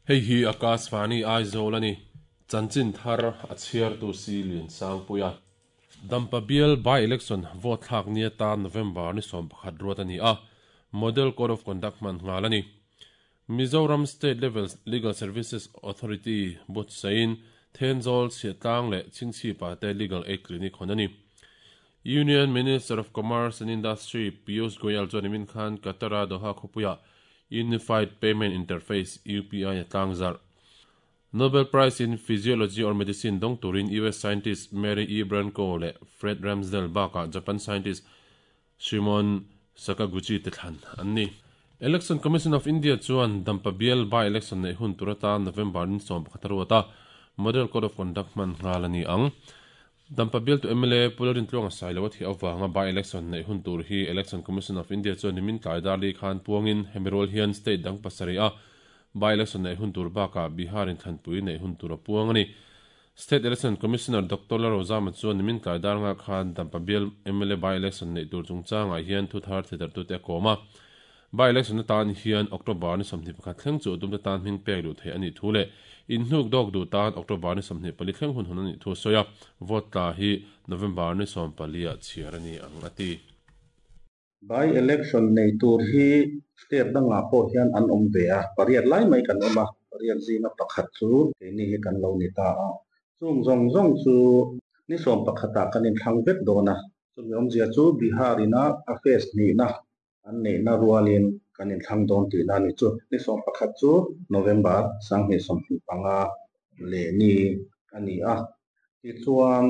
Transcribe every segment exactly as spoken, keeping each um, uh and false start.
Hei hi Akashvani Aizawl a ni. Chanchin thar a chhiartu si Lian Sangpuia. Dampa bial by election vote thlak ni atan November ni sawm pakhat ruat a ni a, Model Code of Conduct hman nghal a ni. Mizoram State Level Legal Services Authority buatsain Thenzawl Chhiahtlang leh Chhingchhipa te Legal Aid Clinic hawn a ni. Union Minister of Commerce and Industry Piyush Goyal chuan nimin khan Qatar-a Doha khawpuiah Unified Payment Interface, U P I, a tlangzarh. Nobel Prize in Physiology or Medicine dawng turin U S scientist Mary E. Brunkow leh Fred Ramsdell bakah Japan scientist Shimon Sakaguchi te thlan an ni. Election Commission of India chuan Dampa bial by election neih hun tur atan November ni sawm pakhat a ruat a, Model Code of Conduct hman nghal a ni ang. Dampa bialtu M L A Pu Lalrintluanga Sailo a thih avanga by election neih hun tur hi Election Commission of India chuan nimin tlai dar li khan puangin hemi rual hian state dang pasarih a by election neih hun tur bakah Bihar in thlanpui neih hun tur a puang a ni. State Election Commissioner Doctor Lalrozama chuan nimin tlai dar nga khan Dampa bial M L A by election neih tur chungchangah hian thu thar thedartute a kawm a. By election atan hian October ni sawmhnih pakhat thleng chu tumte tan hming pek duh theih a nih thu leh inhnuk dawk duh tan October ni sawmhnih pali thleng hun hun a nih thu a sawi a, vote tla hi November ni sawm pali ah chhiar a ni ang a ti. By election nei tur hi state dangah pawh hian an awm ve a, pariat lai mai kan awm a, pariat zinga pakhat chu keini hi kan lo ni ta a. Chung zawng zawng chu ni sawm pakhatah kan inthlang vek dawn a, chumi awmzia chu Bihar ina a phase hnihna an neihna rualin kan inthlang dawn tihna a ni chu. Ni sawm pakhat chu November sanghnih sawmhnih panga leh ni a ni a. Tichuan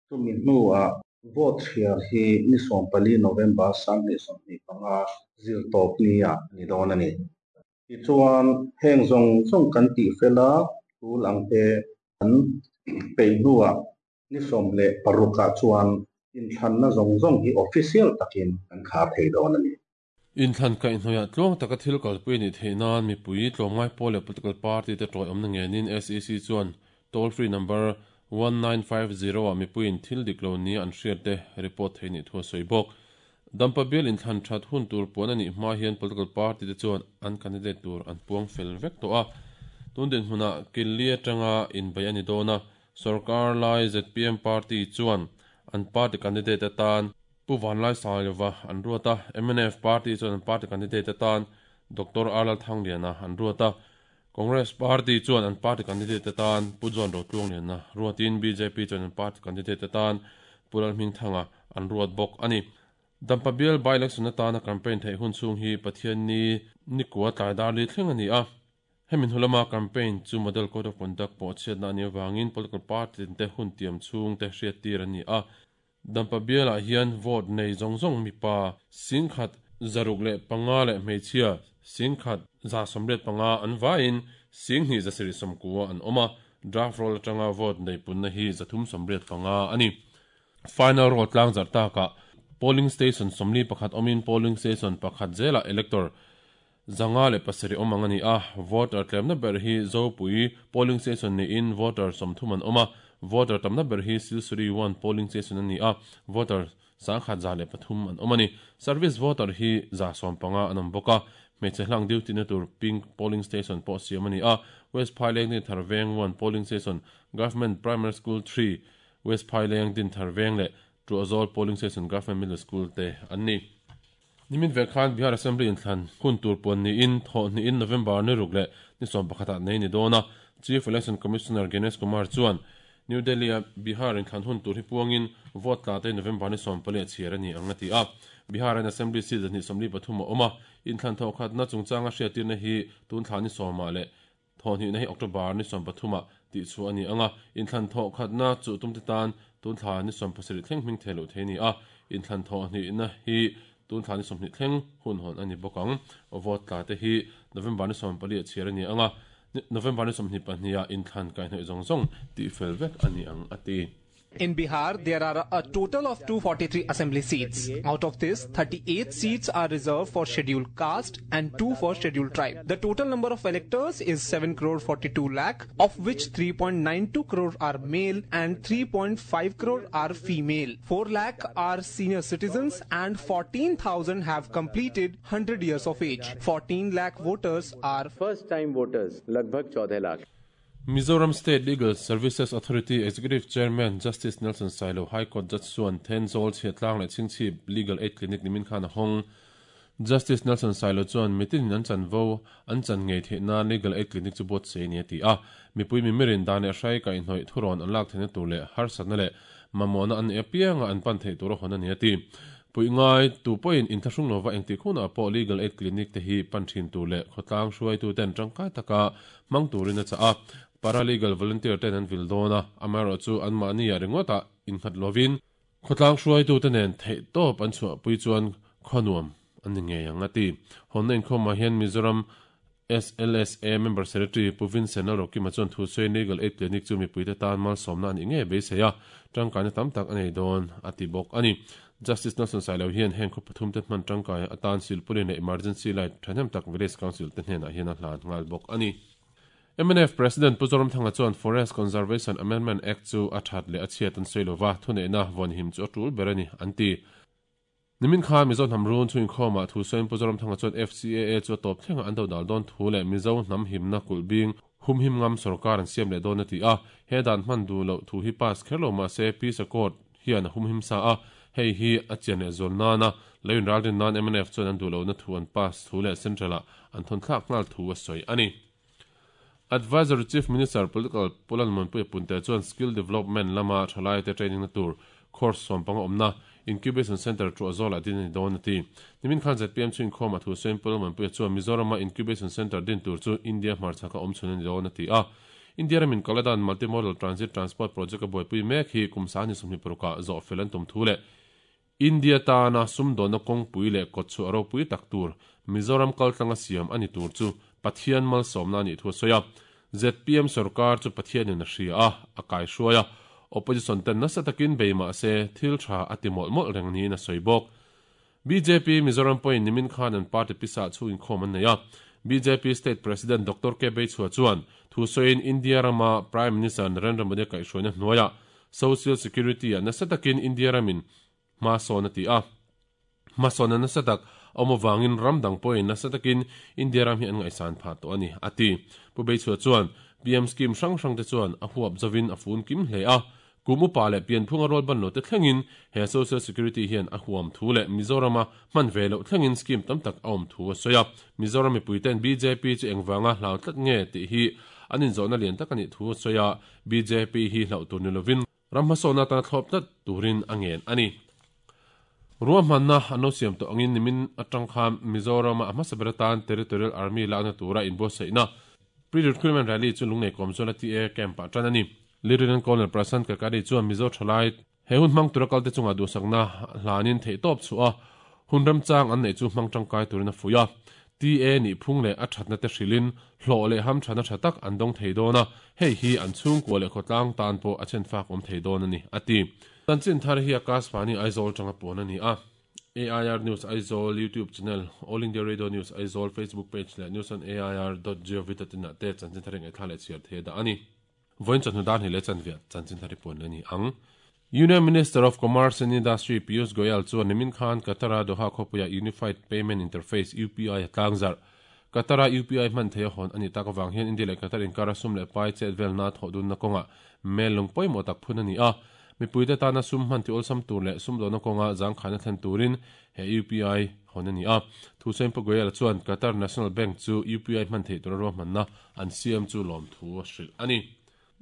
chumi hnuah vote chhiar hi ni sawm pali November sanghnih sawmhnih panga zir tawp ni ah ni dawn a ni. Tichuan heng zawng zawng kan tih fela tul ang te an peih hnuah ni sawm leh parukah chuan inthlanna zawng zawng hi official takin kan khar thei dawn a ni. Inthlan kaihhnawih tluang taka thil kalpui a nih theih nan mipui tlawmngai pawl leh political party te tawiawmna ngenin S E C chuan toll free number one nine five zero ah mipuiin thil dik lo nia an hriat te report thei nih thu a sawi bawk. Dampa bial inthlan that hun tur puan a nih hma hian political party te chuan an candidate tur an puang fel vek tawh a. Tun dinhmunah Killi atanga inbei a ni dawn a, sorkar lai Z P M party chuan an party candidate atan Pu Vanlai Sailova an ruat a, M N F party chuan an party candidate atan Doctor Arlal Thangliana an ruat a, Congress party chuan an party candidate atan Pu John Rotluangliana ruatin B J P chuan an party candidate atan Pu Lalhmingthanga an ruat bawk a ni. Dampa bial by election atana campaign theih hun chhung hi Pathian ni nikua tlai dar li thleng a ni a. Hemin hulama campaign chu Model Code of Conduct pawh chhiatna a nih avangin political party te hun tiam chhung te hriat tir a ni a. Dampa bialah hian vote nei zawng zawng mipa singkhat zaruk leh panga leh hmeichhia singkhat za sawmriat panga an vaiin singhnih zasarih sawmkua an awm a, draft roll atanga vote nei punna hi zathum sawmriat panga a ni. Final roll tlangzarh takah polling station sawmli pakhat awmin polling station pakhat zelah elector zanga leh pasarih awm ang a ni a. Voter tlemna ber hi Zopui polling station niin voter sawmthum an awm a, voter tamna ber hi Silsuri one polling station a ni a, voter sangkhat za leh pathum an awm a ni. Service voter hi za sawm panga an awm bawk a. Hmeichhe hlang duty na tur pink polling station pawh siam a ni a. West Phaileng Dinthar Veng one polling station, Government Primary School three, West Phaileng Dinthar Veng leh Tuahzawl polling station, Government Middle School te an ni. Nimin ve khan Bihar Assembly inthlan hun tur puan niin thawh hnihin November ni ruk leh ni sawm pakhatah nei ni dawn a. Chief Election Commissioner Gyanesh Kumar chuan New Delhi a Bihar inthlan hun tur hi puangin vote tla te November ni sawm pali a chhiar a ni ang a ti a. Bihar an Assembly seat zahnih sawmli pathum a awm a, inthlan thawh khatna chungchanga hriattirna hi tun thla ni sawmah leh thawh hnihna hi October ni sawm pathumah tih chu a ni ang a. Inthlan thawh khatna chu tumte tan tun thla ni sawm pasarih thleng hming thei loh thei a ni a, inthlan thawh hnihna hi tun thla ni sawmhnih thleng hun hawn a ni bawk ang. Vote tla te hi November ni sawm pali a chhiar a ni ang a, November ni sawmhnih pahnih ah inthlan kaihhnawih zawng zawng tih fel vek a ni ang a ti. In Bihar, there are a total of two forty-three assembly seats. Out of this, thirty-eight seats are reserved for scheduled caste and two for scheduled tribe. The total number of electors is seven crore forty-two lakh, of which three point nine two crore are male and three point five crore are female. four lakh are senior citizens and fourteen thousand have completed hundred years of age. fourteen lakh voters are first time voters, lagbhag fourteen lakh. Mizoram State Legal Services Authority Executive Chairman Justice Nelson Sailo High Court Judge Chuan Thenzawl Chhiatlang leh Chhingchhip Legal Aid Clinic nimin khan a hawng. Justice Nelson Sailo chuan mitin an chan vo an chan ngei theih nan Legal Aid Clinic chu buat sei ni a ti a. Mipui mimirin dan leh hrai ka inhnawih thuron an lak theihna tur leh harsatna leh mamawhna an apianga an pan theih tur a hawn a ni a ti. Pui ngai tu pawhin inthlahrung lova engti khuna pawh Legal Aid Clinic te hi pan thin tur leh khawtlang hruaitu ten tangkai taka hmang turin a chah a. Paralegal volunteer ten an vil dawna amaherawh chu an mahni a ringawtah innghat lovin khawtlang hruaitu te nen theih tawp an chhuah pui chuan khawnuam an ni ngei ang a ti. Hawnna inkhawmah hian Mizoram S L S A member secretary Pu Vincent Lalrokima chuan thu sawi Legal Aid Clinic chu mipuite tan malsawmna an ni ngei beisei a tangkaina tam tak a nei dawn a ti bawk a ni. Justice Nelson Sailo hian heng khaw pathum te hman tangkai atan silpulin leh emergency light thahnem tak village council te hnenah hian a hlan nghal bawk a ni. M N F President Pu Zoramthanga chuan Forest Conservation Amendment Act chu a that leh a chhiat an sawi lova thuneihna vawnhim chu a tul ber a ni an ti. Nimin kha Mizo hnam run chu inkhawmah thu sawiin Pu Zoramthanga chuan F C A A chu a tawp thlenga an do dal dawn thu leh Mizo hnam himna kulh bing humhim ngam sarkar an siam leh dawn a ti a. He dan hman du lo thu hi pass kher lo mahse Peace Accord hian a humhim sa a. Hei hi a chian leh zawl nana leiin ralrin nan M N F chuan an du lo na thu an pass thu leh central ah an thawn thlak nghal thu a sawi a ni. Advisor Chief Minister Political Pulan Monpui Punte chuan skill development lama thalai te training na tur course sawmpanga awmna incubation center chu azawl a din ani dawn a ti. Nimin khan Z P M chu inkhawm a thu sawiin Pulan Monpui chuan Mizorama incubation center din tur chu India hmarchhaka awm chhun ani dawn a ti a. India ramin Kaladan Multimodal Transit Transport Project a buaipui mek hi kum sani sawmhnih parukah zawh fel an tum thu leh India tana sumdawna kawngpui leh kawt chu a ropui tak tur Mizoram kaltlanga siam ani tur chu Pathian malsawmna ani thu a sawi a. Z P M sarkar chu Pathianin a hria a, a kai hruai a. Opposition ten nasa takin bei mahse thil tha a ti mawlh mawlh reng niin a sawi bawk. B J P Mizoram pawhin nimin khan an party pisa chu inkhawm an nei a. B J P State President Doctor K Beichhua chuan thu sawiin India rama Prime Minister Narendra Modi kaihhruaina hnuaia Social Security a nasa takin India ramin hma sawn a ti a. Hma sawn a nasa tak awm awangin ram dang pawhin nasa takin India ram hi an ngaihsan phah tawh a ni a ti. Pu Beichhua chuan P M scheme hrang hrang te chuan a huap zawin a fun kim hle a. Kum upa leh pianphunga rawl ban lo te thlengin he Social Security hian a huam thu leh Mizorama hman ve loh thlengin scheme tam tak a awm thu a sawi a. Mizoram mipui ten B J P chu engvanga hlau tlat nge tih hi an inzawhna lian tak a nih thu a sawi a. B J P hi hlauh tur ni lovin ram hmasawhna tana thlawp tlat turin a ngen a ni. Ruahmanna an lo siam tawh angin nimin atang khan Mizorama a hmasa ber atan Territorial Army lakna tura inbuatsaihna pre-recruitment rally chu lungnei kawm chuan a T A camp ah tan a ni. Lieutenant Colonel Prasant Kakari chuan Mizo thalai he hun hmang tura kalte chunga duhsakna hlanin theih tawp chu a hun ramchang an nei chu hmang tangkai turin a fui a. T A ni phung leh a thatna te hrilin hlawh leh ham thana tha tak an dawng thei dawn a. Hei hi an chhungkua leh khawtlang tan pawh a chen fak awm thei dawn a ni a ti. Chanchin thar hi Akashvani Aizawl tanga pawn a ni a. A I R News Aizawl YouTube channel, All India Radio News Aizawl Facebook page leh news on A I R dot gov dot in ah te chanchin thar ngai thla leh chhiar thei da a ni. Voin chawhnu dan hi leh chanviah chanchin thar hi pawn a ni ang. Union Minister of Commerce and Industry Piyush Goyal chuan nimin khan Qatara Doha khawpuia Unified Payment Interface U P I a tlangzar. Qatara U P I hman thei a hawn ani tak awang hian India leh Qatar inkara sum leh pai chet velna thawh dunna kawnga mel lung pawimawh tak phun a ni a. Mipuite tana sum hman ti awlsam tur leh sum dawhna kawnga zangkhana thlen turin he U P I hawn a ni a. Thu sawiin Pu Goyal chuan Qatar National Bank chu U P I hman thei tura ruahmanna an siam chu lawm thu a hrilh a ni.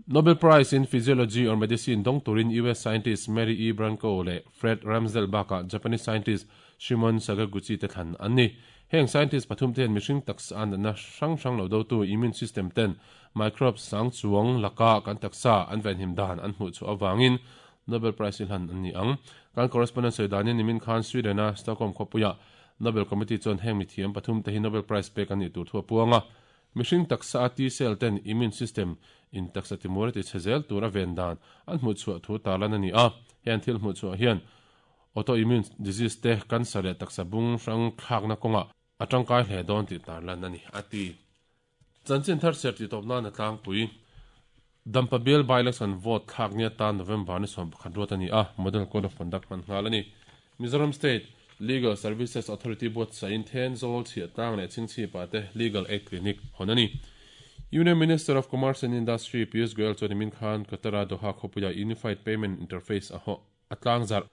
Nobel Prize in Physiology or Medicine dawng turin U S scientist Mary E. Branco leh Fred Ramsdell bakah Japanese scientist Shimon Sakaguchi te thlan an ni. Heng scientist pathum ten mihring taksa an na hrang hrang lo do tu immune system ten microbes sang chuang laka kan taksa an ven him dan an hmuh chu awangin Nobel Prize hlan an ni ang. Kan correspondent sawi danin nimin khan Sweden a Stockholm khawpuia Nobel Committee chuan heng mithiam pathum te hi Nobel Prize pek an ni tur thu a puanga. Mihring taksa a T cell ten immune system in taksa timur ti chezel tura vendan an hmu chu thu talan ani a. Hian thil hmu chu hian autoimmune disease te cancer le taksa bung hrang thlak na konga atangkai hle don ti tarlan ani ati. Chanchin thar ser ti topna na tlang pui Dampa bial by-election vote thlak nia ta November ni som pakhat ruat ani a. Model Code of Conduct man ngal ani. Mizoram State Legal Services Authority board sain then zol chi tang le ching chi pa te Legal Aid Clinic honani. Union Minister of Commerce and Industry Piyush Goyal chuan min khan Qatar Doha khopuya Unified Payment Interface a ho atlang zar.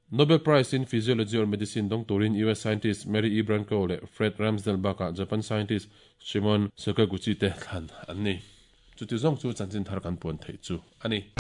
Nobel Prize in Physiology or Medicine dong turin U S scientist Mary E. Branco le Fred Ramsdell baka Japan scientist Shimon Sakaguchi te thlan anni. Chuti zong chu chanchin thar kan pon thei chu ani.